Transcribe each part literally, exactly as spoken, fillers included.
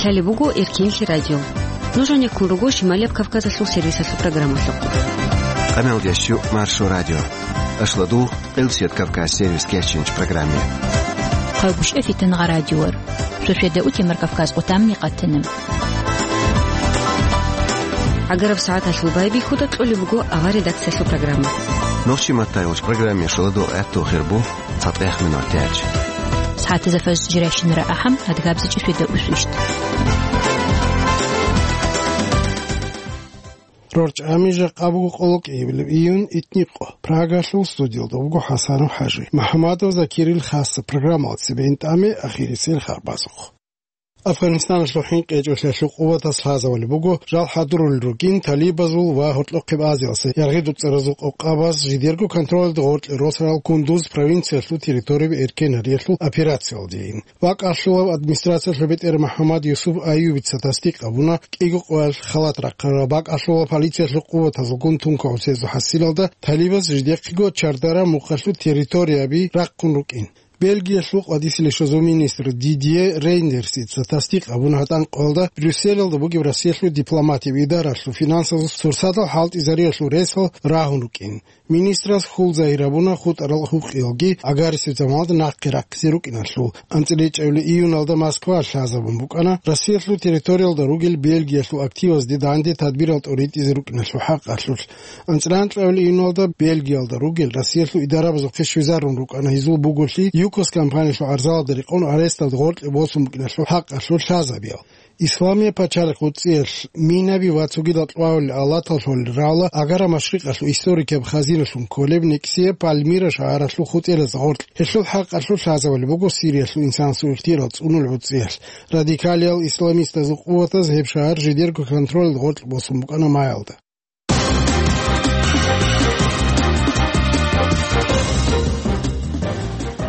Лъалеб буго Эркенлъи радио. Нуж гьанеккун руго Шималияб Кавказалъул сервисалъул программалъухъ. Къамел дящу Маршо радио. Ашладу Къилсият Кавказ сервис кечинч программе. Хъайбушев Фитнагъа радиор. Шошеда утемар Кавказ къутамни къатана. Агараб сагӀаталъул байбихьуда кьолеб буго авар редакциялъул программа. Нохчи маттайулч программе шоладу гӀатту хирбу цатӀех минут тяч. СагӀатазда фаз жиращинара ахӀам, адгабзичӀи шведа усвищт. РорчӀами жакъа буго къоло кӀиабилеб июнь итникъо. Прагалъул студиялда буго ХӀасанов ХӀажи. МахӀмадов Закирил хасса программалда цебе интӀаме ахирисел харбазухъ. Афганистаналъул хӀинкъичӀолъиялъул къуватас лъазавали буго, жал хӀадурулел рукӀин талибазул ва гьоркьохъеб Азиялъе яргъи дуцӀаразул къокъабаз жидерго контролалда гъоркье росарал Кундуз провинциялъул территорияби эркен гьариялъул операциялдейин. Вакъалъулав администрациялъул бетӀер МахӀаммад Юсуф Аюбица тасдикъ гьабуна кӀиго къоялъ халат рахъарал. Бакъалъулав полициялъул къуватазулгун тункаусезул хӀасилалда талибаз жидехъего чардара мухъалъул территорияби рахъун рукӀин. Бельгиялъул къватӀисел ишазул министр Дидье Рейндерсица тасдикъ гьабуна гьатӀан къоялда Брюсселалда бугеб Россиялъул дипломатияб идаралъул финансазул сурсатал хӀалтӀизариялъул ресал рагьун рукӀин. Министрас хьул загьир гьабуна хутӀарал гьукъиялги гӀагарисеб заманалда нахъе рахъизе рукӀиналъул. АнцӀила ичӀабилеб июналда Москваялъ лъазабун букӀана Россиялъул территориялда ругел Бельгиялъул активазде данде тадбирал тӀоритӀизе рукӀиналъул хӀакъалъулъ. АнцӀила анкьабилеб июналда Бельгиялда ругел Россиялъул идарабазухъе щвезарун рукӀана гьезул буголъи ЮКОС компаниялъул гӀарзалда рекъон аресталда гъоркье босун букӀиналъул хӀакъалъулъ лъазабиял. Исламияб пачалихъ гьуцӀиялъ минаби ва цогидал кьвавулел алатал лъолел рала Агара Машрикъалъул историкияб хазиналъун кколеб никсияб Пальмира шагьаралъул хутӀераз гъоркь. Гьелъул хӀакъалъулъ лъазавали буго Сириялъул инсансул ихтияр цӀунулел гьуцӀиялъ. Радикалиял исламистазул къуватаз гьеб шагьар жидерго контролалда гъоркь босун букӀана маялда.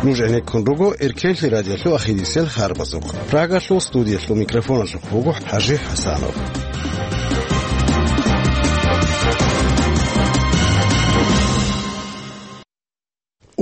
Нуж гӀенеккун руго Эркенлъи радиолъул ахирисел харбазухъ. Прагалъул студиялъул микрофоналъухъ буго ХӀажи ХӀасанов.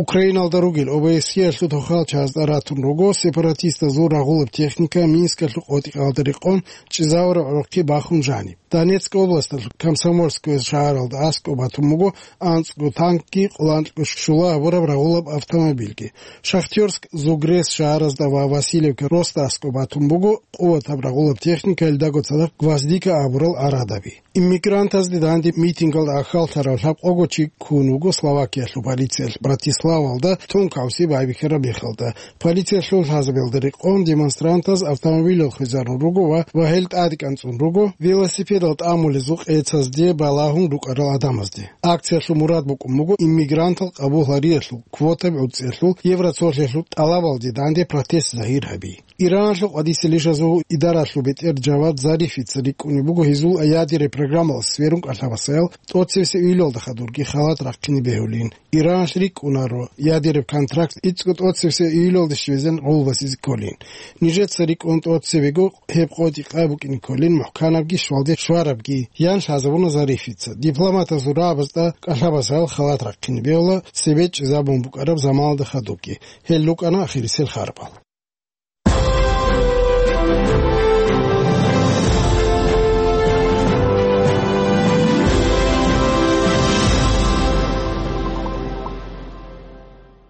Украиналда ругел ОБСЕ-ялъул тохалчазда ратун руго сепаратистазул рагъулаб техника Минскалъул къотӀи-къалда рекъон чӀезавараб гӀурухъе бахун жаниб. Донецк областалъул Комсомольское шагьаралда аскӀоб батун буго анцӀго танкги, къоланкьго щула гьабураб рагъулаб автомобильги. Шахтёрск, Зугрес шагьаразда ва Васильевка росда аскӀоб батун буго къуватаб рагъулаб техника, гьелдаго цадахъ «Гвоздика» абурал арадаби. Иммигрантазде данде митингалда ахьаллъарав лъабкъого чи ккун вуго Словакиялъул полициялъ Братиславалда тункаусизе байбихьараб мехалда. Полициялъул лъазабиялда рекъон демонстрантаз автомобилал хвезарун руго ва, ва гьел тӀадекӀанцӀун руго велосипедал тӀамулезул къецазде балагьун рукӀарал гӀадамазде. Акциялъул мурад букӀун буго иммигрантал къабул гьариялъул квотаби гӀуцӀиялъул Евроцолъиялъул тӀалабалде данде протест загьир гьаби. Ираналъул къватӀисел ишазул идаралъул бетӀер Джавад Зарифица рикӀкӀунеб буго гьезул ядерный программалас сверун кӀалъабасаял тӀоцебесеб июлалда хадурги халат рахъине бегьулин. Ираналъ рикӀкӀунаро ядерный контракт ицӀго тӀоцебесеб июлалде щвезегӀан гъулбасизе кколин. Нижеца рикӀкӀун тӀоцебего гьеб къотӀи-къай букӀине кколин, мухӀканабги щвалде щварабги, ян лъазабуна Зарифица. Дипломатазул рагӀабазда кӀалъабасаял халат рахъине бегьула цебе чӀезабун букӀараб заманалда хадубги. Гьел рукӀана ахирисел харбал.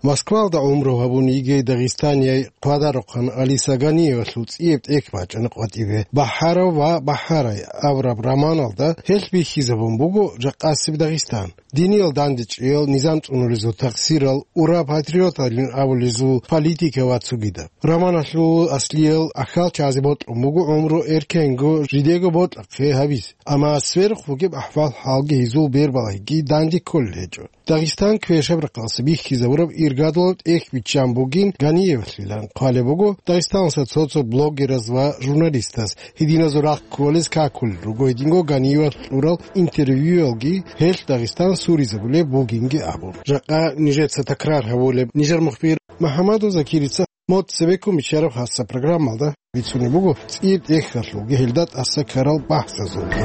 Москвалда гӀумру гьабун йигей дагъистанияй хъвадарухъан Алиса Ганиевалъул цӀияб тӀехь бачӀана къватӀибе. «Бахарав ва Бахарай» абураб романалда гьелъ бихьизабун буго жакъасеб Дагъистан. Диниял дандечӀейал, низам цӀунулезул такъсирал, ура патриоталин абулезул политика ва цогидаб. Романалъул аслиял ахьалчазе бокьун буго гӀумру эркенго жидего бокьахъе гьабизе. Амма сверухъ бугеб ахӀвал-хӀалги гьезул бербалагьиги данде кколел гьечӀо. Дагъистан квешаб рахъалъе бихьизабураб иргадулаб тӀехь биччан бугин Ганиевлъилан хъвалеб буго Дагъистаналъа цо-цо блогераз ва журналистаз. Гьединазул рахъ кколез какулел руго гьединго Ганиевалъ кьурал интервьюялги, гьелъ Дагъистан суризабулеб бугинги абун. Жакъа нижеца такрар гьабулеб, нижер мухбир МухӀаммадов Закирица мод цебеккун биччараб хасса программалда бицунеб буго цӀияб тӀехьалъулги гьелда тӀаса ккарал бахӀсазулги.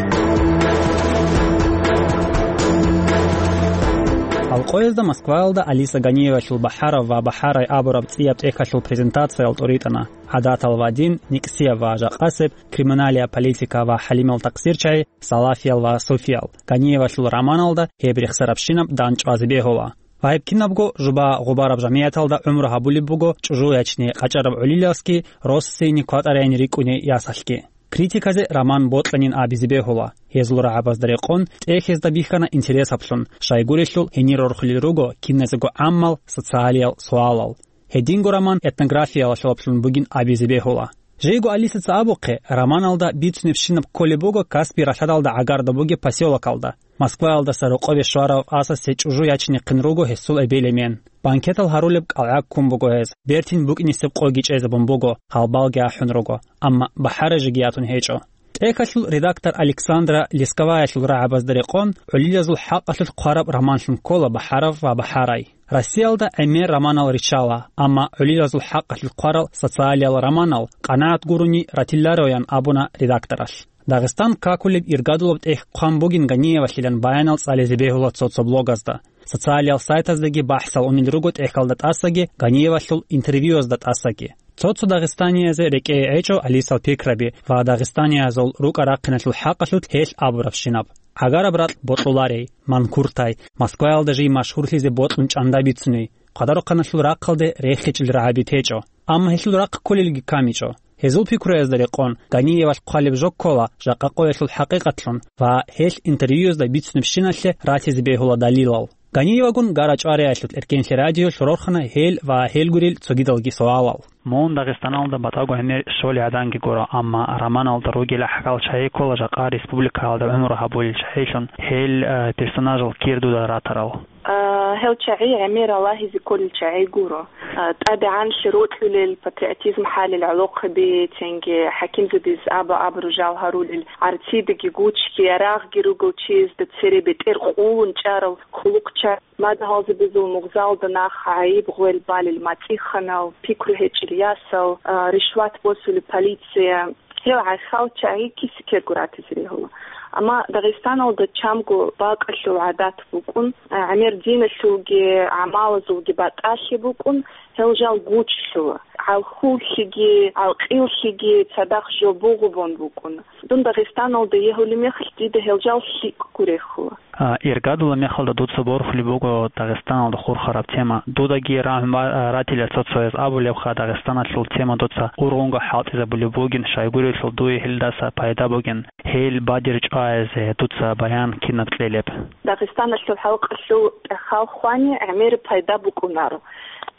Гьалкъоязда Москваялда Алиса Ганиевалъул БахӀарав ва БахӀарай абураб цӀияб тӀехьалъул презентациял тӀоритӀана: гӀадатал ва дин, никӀсияб ва жакъасеб, криминалия, политика ва хӀалимал такъсирчагӀи, салафиял ва суфиял. Ганиевалъул романалда гьеб рехсарабщинаб дандчӀвазе бегьула. Ва гьеб кинабго жуба-гъубараб жамигӀаталда гӀумру гьабулеб буго чӀужу ячни къачӀараб гӀолилалъги, россине кватӀарайин рикӀкӀуни ясалъги. Критиказе роман бокьанин абизе бегьула. Гьезул рагӀабазда рекъон, тӀехьазда бихьана интересаблъун, щайгурелъул гьенир рорхулел руго киназего гӀаммал социалиял суалал. Гьединго роман этнографиялалъулаблъун бугин абизе бегьула. Жейго Алисаца абухъе, романалда бицунебщинаб кколеб буго Каспий ралъадалда гӀагарда бугеб посёлокалда. Москваялдаса рокъове щварав асасе чӀужу ячинехъин руго гьесул эбел-эмен. Банкетал гьарулеб кӀалгӀа ккун буго гьез, бертин букӀинисеб къоги чӀезабун буго, гьалбалги ахӀун руго, амма бахӀарай жеги ятун гьечӀо. ТӀехьалъул редактор Александра Лесковаялъул рагӀабазда рекъон, гӀолилазул хӀакъалъулъ хъвараб романлъун ккола БахӀарав ва БахӀарай. Россиялда гӀемер романал риччала, амма гӀолилазул хӀакъалъулъ хъварал социалиял романал къанагӀат гурони ратилароян абуна редакторалъ. Дагъистан какулеб иргадулаб тӀехь хъван бугин Ганиевалъилан баянал цӀализе бегьула цо-цо блогазда. Социалиял сайтаздаги бахӀсал унел руго тӀехьалда тӀасаги, Ганиевалъул интервьюязда тӀасаги. Цо-цо дагъистаниязда рекӀее гӀечӀо Алисал пикраби ва дагъистаниязул рукӀа-рахъиналъул хӀакъалъулъ гьелъ абурабщинаб: гӀагараб ракь бокьуларей, манкуртай, Москваялда жий машгьурлъизе бокьун чӀанда бицуней, хъвадарухъаналъул рахъалде рехичӀел рагӀаби течӀо. Амма гьелъул рахъ кколелги камичӀо. Гьезул пикруязда рекъон, Ганиевалъ хъвалеб жо ккола жакъа къоялъул хӀакъикъатлъун ва гьелъ интервьюязда бицунебщиналъе ратизе бегьула далилал. Ганиевагун гара-чӀвариялъул эркенлъи радиолъ рорхана гьел ва гьел гурел цогидалги суалал. Мун Дагъистаналда батӀаго гьенир щолей гӀаданги гуро, амма романалда ругел гӀахьал чагӀи ккола жакъа республикаялда гӀумру гьабулел чагӀилъун, гьел, э, персонажал кир дуда ратарал. А, гьел чагӀи гӀемер рагьизе кколел чагӀи гуро. А, тӀадегӀанлъи рокьулел, патриотизм хӀалел гӀолохъаби, цинги хӀакимзабиз аба-абру жал гьарулел, гӀарцидеги гучги, ярагъги ругел чиясда цере бетӀер къулун чӀарал хъулухъчагӀи, мадугьалзабазул мугъзалда нах гӀайиб гъвел балел мацӀиханал, пикру гьечӀел ясал, а, ришват босулеб полиция. Гьел гӀахьал чагӀи киса-ккего ратизе бегьула. Амма Дагъистаналда чамго бакӀалъул гӀадат букӀун, гӀемер диналъулги гӀамалазулги батӀалъи букӀун, гьел жал гучлъула. ГӀалхьуллъиги, гӀалкъиллъиги цадахъ жо бугъу бун букӀун. Дун Дагъистаналда егьулеб мехалъ дида гьел жал лъикӀго рехула. А, иргадула мехалда дуца борхулеб буго Дагъистаналда хурхараб тема. Дудаги рагӀун ба-, а, ратила цо-цояз абулебха, Дагъистаналъул тема дуца ургъунго хӀалтӀизабулеб бугин, щайгурелъул дуе гьелдаса пайда бугин, гьел бадир чӀвазе дуца баян кинаб кьелеб. Дагъистаналъул халкъалъул тӀахьал хвани гӀемер пайда букӀунаро.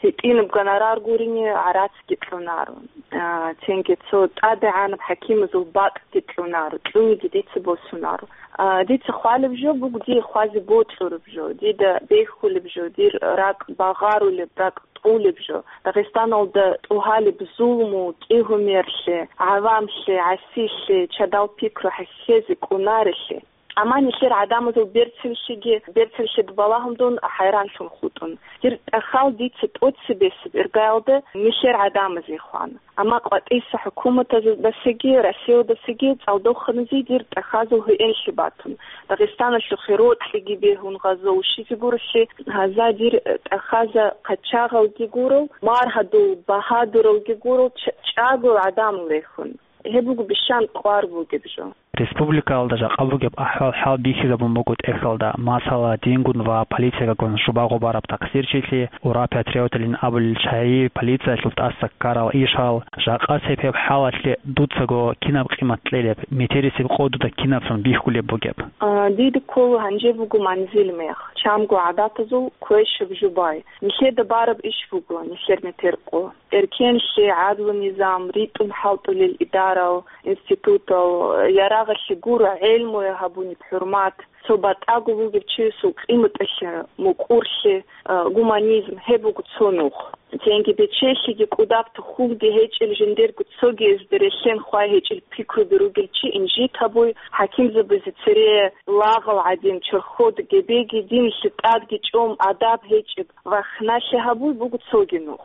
ГьитӀинаб гонорар гурине гӀарацги кьунаро. А, цинги цо тӀадегӀанаб хӀакимазул бакӀги кьунаро, кьуниги дица босунаро. А, дица хвалеб жо буго дие хвазе бокьураб жо, дида бехьулеб жо, дир ракӀ багъарулеб, ракӀ тӀулеб жо. Дагъистаналда тӀугьалеб зулму, кӀигьумерлъи, гӀавамлъи, гӀасилъи, чадал пикру хӀехьезе кӀунарелъи. Амма нилъер гӀадамазул берцинлъиги, берцинлъида балагьун дун хӀайранлъун хутӀун. Дир тӀахьал дица тӀоцебесеб иргаялда нилъер гӀадамазе хвана. Амма къватӀиса хӀукуматаздасаги, Россиядасаги цӀалдоханазе дир тӀахьазул гьуинлъи батун. Дагъистаналъухъе рокьиги бегьун гъазо ушизе гурелъи, гьаза дир тӀахьаза къачагъалги гурал, маргьадул багьадуралги гурал, ч-, чӀаго гӀадамал рехун. Гьеб буго бищан кӀвар бугеб жо. Республикаялда жакъа бугеб ахӀвал-хӀал бихьизабун буго тӀехьалда, масала, дингун ва полициягун жуба-гъубараб такъсирчилъи, ура-патриотилин абулел чагӀи, полициялъул тӀаса ккарал ишал. Жакъасеб гьеб хӀалалъе дуцаго кинаб къимат кьелеб, метерисеб къо дуда кинаблъун бихьулеб бугеб? А, дида ккола гьанже буго манзил мех, чамго гӀадатазул квешаб жубай. Нилъеда бараб иш буго, нилъер метер къо. Эркенлъи, гӀадлу-низам, ритӀун хӀалтӀулел идарал, институтал, ярагъалъе гуро гӀелмуе гьабунеб хӀурмат, цо батӀаго вугев чиясул къиматалъе мукӀурлъи, а, гуманизм, гьеб буго цо нух. Цинги бечелъиги кӀудаб тухумги гьечӀел, жиндирго цогиязда релълъен хвай гьечӀел пикруби ругел чи инжит гьабуй, хӀакимзабазе цере лагъал гӀадин, чорхол гебеги, динлъи тӀадги чӀун, адаб гьечӀеб вахналъи гьабуй буго цоги нух.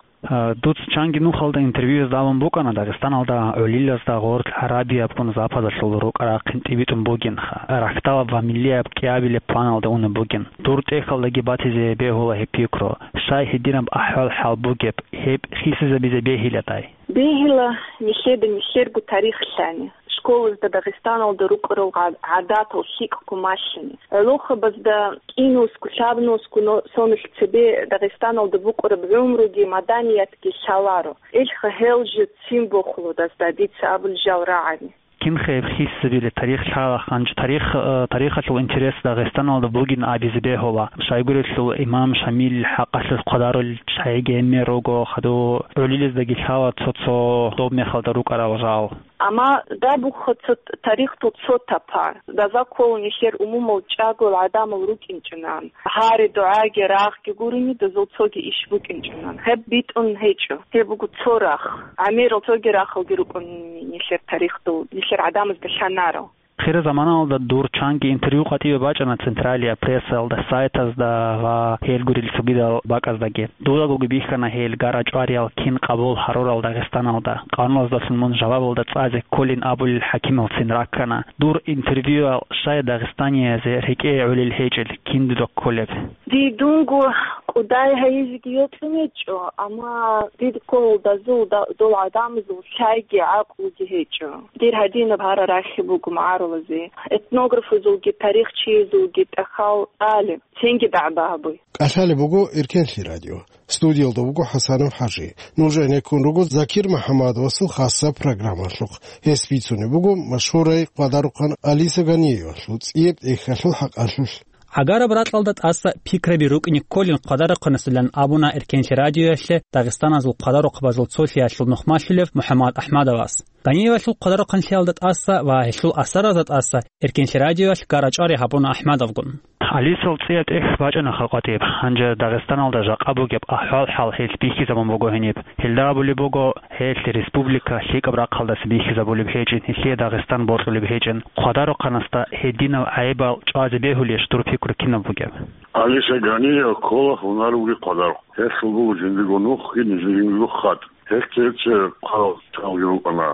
Дуц чанги нухалда интервьюязда абун букӀана Дагъистаналда гӀолилазда гъорлъ гӀарабиябгун западалъул рукӀа-рахъин тӀибитӀун бугин, рахьдалаб ва миллияб кӀиабилеб планалда унеб бугин. Дур тӀехьалдаги батизе бегьула гьеб пикру. Щай гьединаб ахӀвал-хӀал бугеб, гьеб хисизабизе бегьиладай? Бегьила нилъеда нилъерго тарих лъани, школазда Дагъистаналда рукӀарал гӀа-, гӀадатал лъикӀго малъани. ГӀолохъабазда кӀинусго, лъабнусго но-, сонилъ цебе Дагъистаналда букӀараб гӀумруги маданиятги лъаларо. Элха гьел жо ццин бохулодазда дица абулел жал рагӀани. Кинха гьеб хисизабилеб тарих лъала, гьанже тарих, э, тарихалъул интерес Дагъистаналда бугин абизе бегьула. Щайгурелъул имам Шамил хӀакъалъулъ хъвадарулел чагӀиги гьенир руго, хадув гӀолилаздаги лъала цо-цо доб мехалда рукӀарал жал. Амма дабуха цо т-, тарихалъул цо тапа. Даза ккола нилъер умумул чӀагоял гӀадамал рукӀинчӀунан. Гьари дугӀаги рагъги гурони, дозул цоги иш букӀинчӀунан. Гьеб битӀун гьечӀо. Гьеб буго цо рахъ. ГӀемерал цоги рахъалги рукӀун нилъер тарихалъул, нилъер гӀадамазда лъанарал. Хира заманалда дур чанги интервью къватӀиве бачӀана централияб прессаялда, сайтазда ва гьел гурел цогидал бакӀаздаги. Дудагоги бихьана гьел гара-чӀвариял кин къабул гьарурал Дагъистаналда. Къануналдалъун мун жавабалда цӀазе кколин абулел хӀакималцин раккана. Дур интервьюял щай дагъистаниязе рекӀее гӀолел гьечӀел, кин дуда кколеб? Дидунго кӀудай гьайизеги йокьун гьечӀо, амма дид кколдазул да-, дол гӀадамазул лъайги гӀакълуги гьечӀо. Дир гьадинаб гьара рахи буго магӀарулазе. Этнографазулги тарихчиязулги тӀахьал тӀалеб, цинги дагӀба гьабуй. КӀалъалеб буго Эркенлъи радио. Студиялда вуго ХӀасанов ХӀажи. Нуж гӀенеккун руго Закир МухӀаммадовасул хасаб программалъухъ. Гьес бицунеб буго машгьурай къвадарухъан Алиса Ганиевалъул цӀияб тӀехьалъул хӀакъалъулъ. ГӀагараб ракьалда тӀаса пикраби рукӀине кколин къвадарухъанасдалан абуна Эркенлъи радиоялъе Дагъистаназул къвадарухъабазул цолъиялъул нухмалъулев МухӀаммад АхӀмадовас. Ганиевалъул къвадарухъанлъиялда тӀаса ва гьелъул асаразда тӀаса Эркенлъи радиоялъ гара-чӀвари гьабуна АхӀмадовгун. Алисал цӀияб тӀехь бачӀана халкъатиб. Гьанже Дагъистаналда жакъа бугеб ахӀвал-хӀал гьелъ бихьизабун буго гьениб. Гьелда абулеб буго, гьелъ республика лъикӀаб рахъалдаса бихьизабулеб гьечӀин, гьелъие Дагъистан бокьулеб гьечӀин. Къвадарухъанасда гьединал гӀайибал чӀвазе бегьулищ, дур пикру кинаб бугеб? Алиса Ганиева ккола гьунар бугеб къвадарухъ. Гьелъул буго жиндирго нухги, жиндирго хатӀ. Гьелъ цебе хъварал чагӀи рукӀана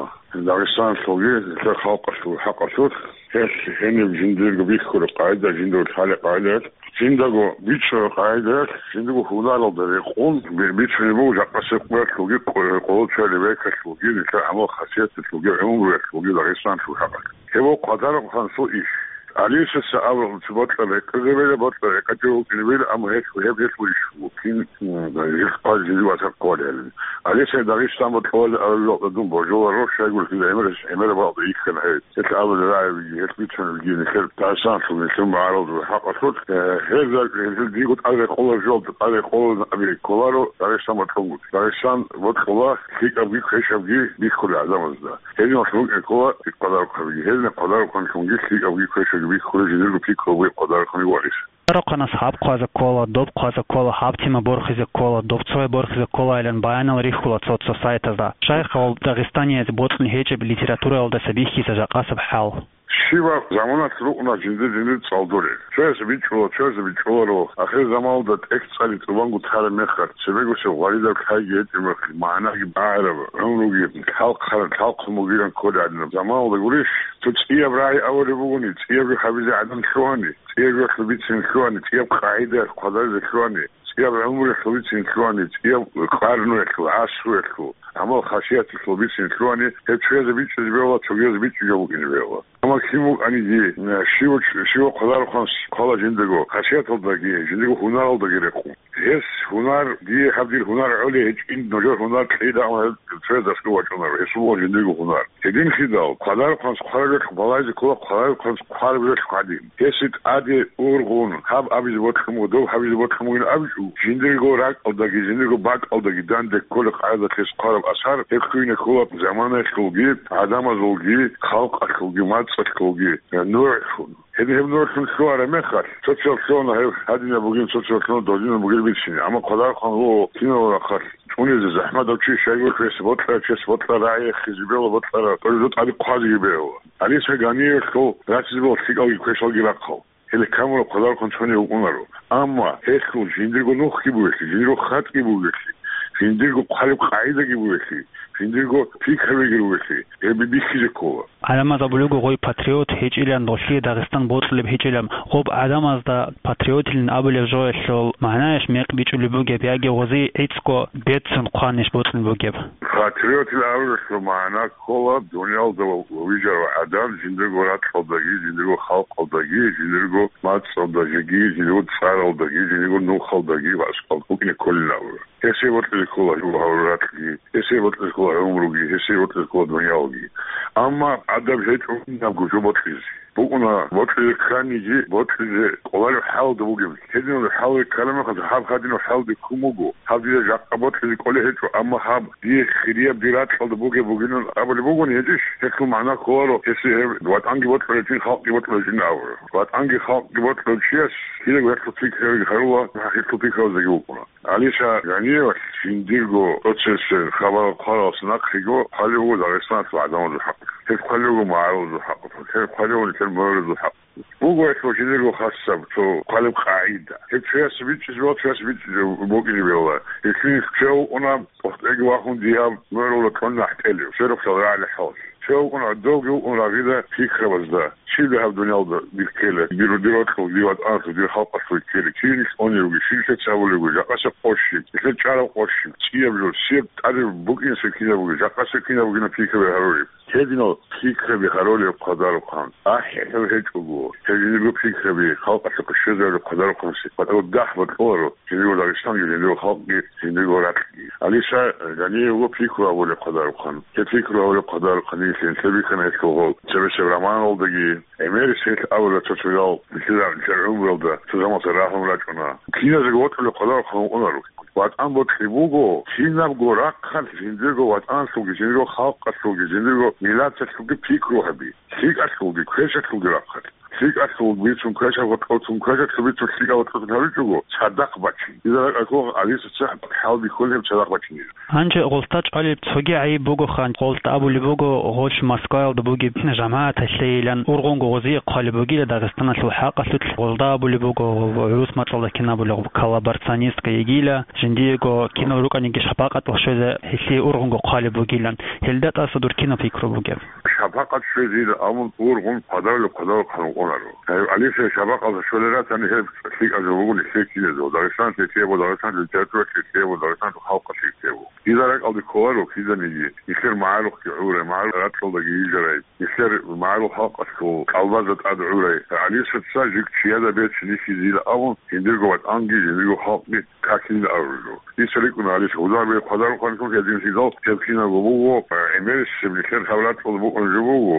Дагъистаналъулги, нилъер халкъалъул хӀакъалъулъ. Гьелъ гьениб жиндирго бихьулеб къагӀида, жиндирго лъалеб къагӀидаялъ, жиндаго бичӀчӀараб къагӀидаялъ, жиндирго гьунаралда рекъон би-, бицунеб буго жакъасеб къоялъулги, къо-, къоло чӀваялеб бекалъулги, нилъер гӀамал-хасияталъулги, гӀумруялъулги Дагъистаналъул хӀакъалъулъ. Гьеб къвадарухъанасул иш. Алисаса абун, цо бокьа рекъезабила, бокьа рекъечӀого вукӀинабила, амма гьелъ, гьеб гьелъ вугищ вукӀин, м, гьелъ хъвалеб жиндир вацал кколарин. Алиса Дагъистан бокьуларин абулеб жо дун божуларо, щайгурелъул гӀемер-, гӀемераб бакӀалда йихьана гьеб. Гьелъ абулеб рагӀи бугин, гьелъ бицунеб бугин, нилъер Дагъистаналъул, нилъер магӀарулазул хӀакъалъулъ, э, гьезда, гьезда диго тӀад рекъолареб жо, тӀад рекъоларин абизе кколаро Дагъистан бокьунгутӀи. Дагъистан бокьула лъикӀабги квешабги бихьулел гӀадамазда. Гьединалъ букӀин ккола къвадарухъанги, гьединаб къвадарухъанлъунги лъикӀабги квешабги бихьулел жиндирго пикру бугеб къвадарухъанги варис. Къвадарухъанас гьаб хъвазе ккола, доб хъвазе ккола, гьаб тема борхизе ккола, доб цояб борхизе кколайилан баянал рихьула цо-цо сайтазда. Щайха гьал дагъистанияз бокьун гьечӀеб литератураялдаса бихьизаб жакъасеб хӀал? Щибаб заманалъ рукӀуна жиндир-жиндир цӀалдурел. Цояс бичӀчӀула, цояс бичӀчӀуларо. Ахир заманалда тӀехь цӀали тӀубанго тараб мехалъ, цебегосеб гъваридаб лъайги гьечӀеб мехалъ, магӀнаги багӀараб, гӀумруги лъалхъараб, лъалхъун бугилан кколеб гӀадинаб заманалда гурищ, цо цӀияб рагӀи абулеб бугони, цӀияб жо гьабизе гӀадан лъугьани, цӀияб жоялъул бицин лъугьани, цӀияб къагӀидаялъ хъвадаризе лъугьани, цӀияб гӀумруялъул бицин лъугьани, цӀияб къарнуялъул, гӀасруялъул, гӀамал-хасияталъул бицин лъугьани, гьеб цоязе бичӀчӀизе бегьула, цогиязе бичӀчӀизе букӀине бегьула. Амма кин вукӀаниги, щив-, щивав къвадарухъанас ккола жиндирго хасияталдаги, жиндирго гьунаралдаги рекъун. Гьес гьунар, дие гьаб дир гьунар гӀолеб гьечӀин, нужер гьунар кьейилан, амма гьеб цояз дасго вачӀунаро, гьесул буго жиндирго гьунар. Гьединлъидал, къвадарухъанас хъвараб жоялъухъ балагьизе ккола, къвадарухъанас хъвараб жоялъухъ гьадин. Гьесие тӀаде ургъун, гьаб абизе бокьун буго, доб гьабизе бокьун бугин абичӀо, жиндирго ракӀалдаги, жиндирго бакӀалдаги данде кколеб къагӀидалъ гьес хъвараб асар, гьеб лъугьине ккола заманаялъулги, гӀадамазулги, халкъалъулги, мацӀалъулги, э, нугӀлъун. Гьедин гьеб нугӀлъун лъугьараб мехалъ, цо-цоял лъугьана гьеб гьадинаб бугин, цо-цоял лъугьана додинаб бугин бицин. Амма къвадарухъан вуго киналго рахъалъ чӀунезе захӀмат гьаб чи, щайгурелъул гьесие бокьарав чиясе бокьараб рагӀи рехизе бегьула, бокьараб тӀоризе тӀаде хъвазеги бегьула. Алиса Ганиевалъул рачизе бегьула лъикӀалги квешалги рахъал. Гьеле камураб къвадарухъан цониги вукӀунаро. Амма гьелъул жиндирго нухги бугелъи, жиндирго хатӀги бугелъи, Жиндирго хъвалеб къагӀидаги бугелъи, жиндирго пикрабиги ругелъи, гьеб бихьизе ккола. ГӀадамаз абулеб буго гъой патриот гьечӀилан, долъие Дагъистан бокьулеб гьечӀилан. Гъоб гӀадамазда патриотилин абулеб жоялъул магӀнаящ мекъ бичӀчӀулеб бугеб, яги гъозие гӀицӀго беццун хъванищ бокьун бугеб? Патриотил абулелъул магӀна ккола, дуниялда вижарав гӀадан жиндирго ракьалдаги, жиндирго халкъалдаги, жиндирго мацӀалдаги, жиндирго цӀаралдаги, жиндирго нухалдаги ва аскӀалда букӀине кколин абура. Гьесие бокьизе ккола гьев гьавураб ракьги, гьесие бокьизе ккола гӀумруги, гьесие бокьизе ккола дуниялги. Амма гӀадаб гьечӀо кинабго жо бокьизе. БукӀуна бокьизе кканиги, бокьизе кӀолареб хӀалда бугеб. Гьединаб хӀалде ккараб мехалъ, гьаб гьадинаб хӀалде ккун буго. Гьаб дида жакъа бокьизе кӀолей гьечӀо, амма гьаб дие хирияб дир ракьалда бугеб бугилан абулеб бугони гьечӀищ? Гьелъул магӀна кколаро, гьесие гьеб ВатӀанги бокьулев чин, халкъги бокьулев чин абура. ВатӀанги халкъги бокьулев чияс кидаго гьелъул пикриялги гьарула, гьелъул пикруялдеги вукӀуна. ГӀалиша Гъаниевалъ жиндирго процессер хабар хъваралдаса нахъего хъвалев вуго Дагъистаналъул гӀадамазул хӀакъалъулъ. Гьеб хъвалев вуго магӀарулазул хӀакъалъулъ. Гьеб хъвалев вуго нилъер мугьрузул хӀакъалъулъ. Буго гьелъул жиндирго хасаб цо хъвалеб къагӀида. Гьеб чиясе бичӀчӀизе бегьула, чиясе бичӀчӀизе букӀине бегьула. Гьелъул чияв вукӀуна, къватӀире вахун дие гьаб мугьрулда кьун нахӀделев, сверухъ лъаларагӀалъи хӀалалъ. Чияв вукӀуна, гьадавги вукӀун рагъида пикрабазда. Щиб гьаб дуниялда дир ккела, дир, дир рокьул, дир ватӀаналъул, дир халкъалъул ккела, кин нилъ унел ругел, щиб нилъеца абулеб бугеб, жакъасеб къо щиб, нилъер чӀараб къо щиб, цӀияб жо, щиб тӀаде букӀинеб кинаб бугеб, жакъасеб кинаб бугеб пикраби гьарулеб. Гьединал пикраби гьарулеб хъвадарухъан. АхӀи, гьев гьечӀого, гьев жиндирго пикраби халкъалъухъе щвезарулеб хъвадарухъанси, хъвадарухъ дагь бокьуларо жиндирго Дагъистанги, жиндирго халкъги, жиндирго ракьги. ГӀалиша Гъаниевго пикру гьабулеб хъвадарухъан. Гьеб пикру гьабулеб хъвадарухъан, нилъеда бихьана гьелъул гъол цебесеб романалдаги, ГӀемерисел абула цо-цоял, нилъер, нилъер гӀумруялда цо замалъа рагьун рачӀуна. Киназего вокьулеб хъвадарухъан вукӀунаро. ВатӀан бокьи буго, кинабго рахъалъ жиндирго ватӀаналъулги, жиндирго халкъалъулги, жиндирго миллаталъулги пикру гьаби. ЛъикӀалъулги, квешалъулги рахъалъ. ЛъикӀалъул бицун квешаб, гъоркьоцун квешалъул бицун лъикӀал гъоркьоцун гьабичӀого, цадахъ бачин. Дида ракӀалъ гьалиса цохӀ хӀалби кколеб цадахъ бачинеб. Гьанже гъолда чӀвалеб цоги гӀайиб буго хан, гъолда абулеб буго, гъолъ Москваялда бугеб жамагӀаталъейилан ургъунго гъозие хъвалеб бугила Дагъистаналъул хӀакъалъулъ, гъолда абулеб буго, гӀурус мацӀалда кин абулеб, коллаборационистка йигила, жиндиего кинал рукӀаниги шапакъатал щвезе гьелъие ургъунго хъвалеб бугилан. Гьелда тӀаса дур кинаб пикру бугеб? Шапакъат щвезейилан абун ургъун хъвадарулеб хъвадарухъан вукӀунаро. Гьев, гӀалиса шапакъаталда щвелел ратани гьеб лъикӀаб жо буго нилъее киназего. Дагъистаналъ лъикӀаб, Дагъистаналъул литературалъ лъикӀаб, Дагъистаналъул халкъалъ лъикӀаб. Дида ракӀалде кколаро киданиги, нилъер магӀарухъги гӀурай, магӀарул ракьалдаги йижарай, нилъер магӀарул халкъалъул кӀалбазда тӀад гӀурай. ГӀалисаца жиг чияда бецин йихьизейилан абун, жиндирго ватӀанги, жиндирго халкъги какилин абурго. Дица рикӀкӀуна гьалис гьудулбе хъвадарухъанлъун гьединлъидал гьеб кинабго буго, гӀемерисеб нилъер гьаб ракьалда букӀун жо буго,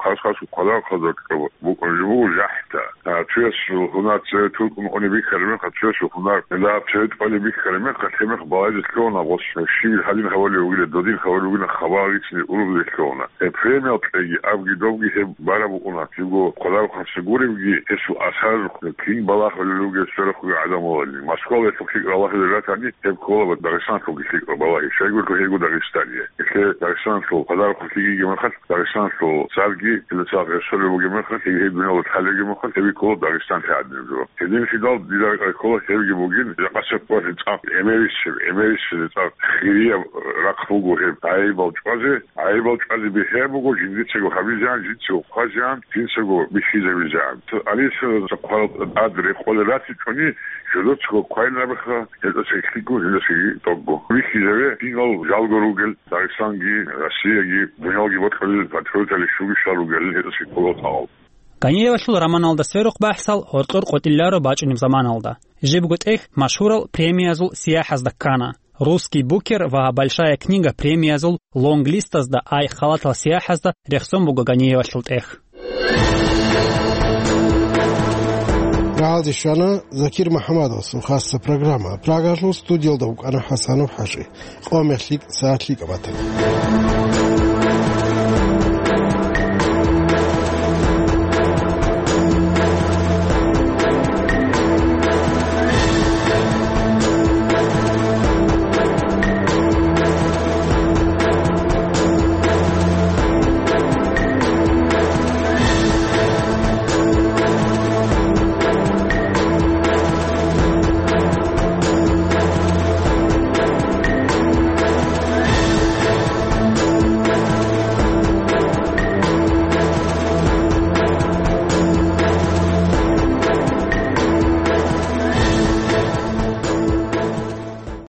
хас-хасго хъвадарухъазда букӀун жо буго жахӀда. А, цоясул гьунар цеве тӀолеб кьун бихьараб мехалъ, цоясул гьунар гьелда цеве тӀолеб бихьараб мехалъ, гьеб мех балагьизе лъугьуна, гъос щибил гьадин гьавалев вугилан, додин гьавалев вугилан, хабар гьечӀине ургъизе лъугьуна. Гьеб премиял кьеги, абги-добги гьеб бараб букӀуна, жибго хъвадарухъанлъи гуребги, гьесул асар кин балагьулел ругел сверухъ ругел гӀадамалилан. Москвалда гьелъухъ лъикӀ ралахизе ратани, гьеб ккола Дагъистаналъулги лъикӀ балагьи, щайгурелъул гьебго Дагъистание. Гьелъе Дагъистаналъул хъвадарухъан лъикӀ йигеб мехалъ, Дагъистаналъул царги, гьелда цадахъ гьесулеб бугеб мехалъ, гьеб гьеб дуниялалда лъалеб бугеб мехалъ, гьеб ккола Дагъистанлъи гӀадинаб жо. Гьединлъидал дида рекӀелъе ккола гьебги бугин, жакъасеб къоялъ цӀакъ гӀемерисеб, гӀемерисеб цӀакъ хирияб рахъ буго гьеб гӀайибал чӀвазе. ГӀайибал чӀвазе бегьи буго, жиндицаго гьабизегӀан, жинцаго хъвазегӀан, жинцаго бихьизабизегӀан. Алисаца хъварал тӀад рекъолел ратичӀони, жидецаго квайнабиха, гьелдаса лъикӀго, гьелдасаги тӀокӀго. Бихьизабе, кинал жалго ругел, Дагъистанги, Россияги, дуниялги бокьулел патриотали щуги щал ругел, гьелдаса ккола тӀагъал. Гъаниевалъул романалда сверухъ бахӀсал гьоркьор къотӀилларо бачӀунеб заманалда. Жибго тӀехь машгьурал премиязул сияхӀазда ккана. «Русский букер» ва «Большая книга» премиязул лонг-листазда ай халатал сияхӀазда рехсон буго Гъаниевалъул тӀехь. Рагьалде щвана Закир МухӀаммадовасул хасса программа. Прагалъул студиялда вукӀана ХӀасанов ХӀажи. Къо мехлъи сагӀат лъикӀаб батана.